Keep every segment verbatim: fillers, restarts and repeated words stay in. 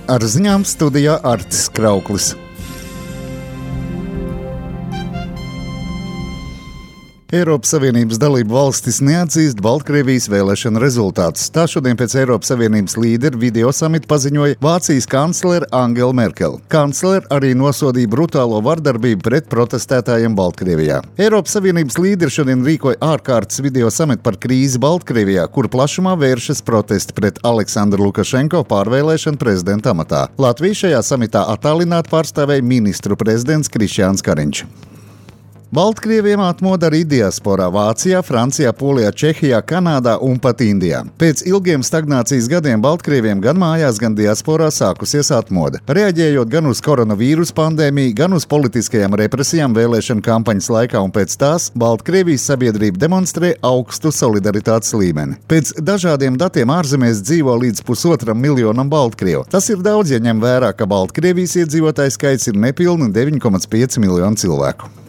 Ar ziņām studijā Artis Krauklis. Eiropas Savienības dalību valstis neatzīst Baltkrievijas vēlēšanu rezultātus. Tā šodien pēc Eiropas Savienības līderu video samita paziņoja Vācijas kanclere Angela Merkele. Kanclere arī nosodīja brutālo vardarbību pret protestētājiem Baltkrievijā. Eiropas Savienības līderi šodien rīkoja ārkārtas video samitu par krīzi Baltkrievijā, kur plašumā vēršas protesti pret Aleksandru Lukašenko pārvēlēšanu prezidenta amatā. Latviju šajā samitā attālināti pārstāvēja ministru prezidents Krišjāns Kariņš. Baltkrieviem atmoda arī diasporā Vācijā, Francijā, Polijā, Čehijā, Kanādā un pat Indijā. Pēc ilgiem stagnācijas gadiem Baltkrieviem gan mājās, gan diasporā sākusies atmoda. Reaģējot gan uz koronavīrusu pandēmiju, gan uz politiskajām represijām vēlēšanu kampaņas laikā un pēc tās, Baltkrievijas sabiedrība demonstrē augstu solidaritātes līmeni. Pēc dažādiem datiem ārzemēs dzīvo līdz pusotram miljonam Baltkrievu. Tas ir daudz, ja ņem vērā, ka Baltkrievijas iedzīvotāju skaits ir nepilni deviņi komats pieci miljoni cilvēku.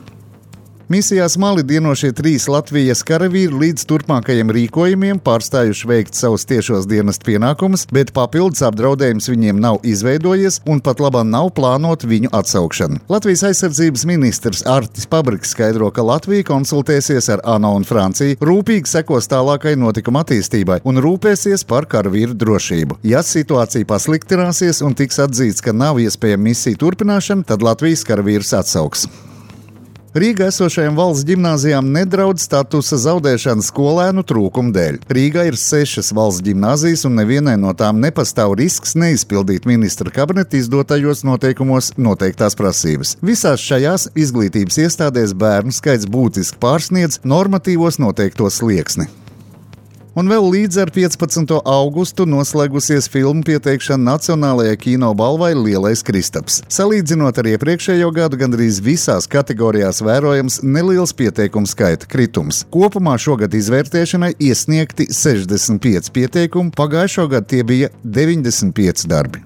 Misijās Mali dienošie trīs Latvijas karavīri līdz turpmākajiem rīkojumiem pārstājuši veikt savus tiešos dienestu pienākumus, bet papildus apdraudējums viņiem nav izveidojies un pat labāk nav plānota viņu atsaukšana. Latvijas aizsardzības ministrs Artis Pabriks skaidro, ka Latvija konsultēsies ar ANO un Franciju, rūpīgi sekos tālākai notikuma attīstībai un rūpēsies par karavīru drošību. Ja situācija pasliktināsies un tiks atzīts, ka nav iespējama misija turpināšana, tad Latvijas karavīrus atsauks. Rīgā esošajām valsts ģimnāzijām nedraud statusa zaudēšana skolēnu trūkuma dēļ. Rīgā ir sešas valsts ģimnāzijas un nevienai no tām nepastāv risks neizpildīt ministra kabineta izdotajos noteikumos noteiktās prasības. Visās šajās izglītības iestādēs bērnu skaits būtiski pārsniedz normatīvos noteiktos slieksni. Un vēl līdz ar piecpadsmito augustu noslēgusies filmu pieteikšana Nacionālajai kino balvai Lielais Kristaps. Salīdzinot ar iepriekšējo gadu, gandrīz visās kategorijās vērojams neliels pieteikumu skaita kritums. Kopumā šogad izvērtēšanai iesniegti sešdesmit pieci pieteikumi, pagājušo gadu tie bija deviņdesmit pieci darbi.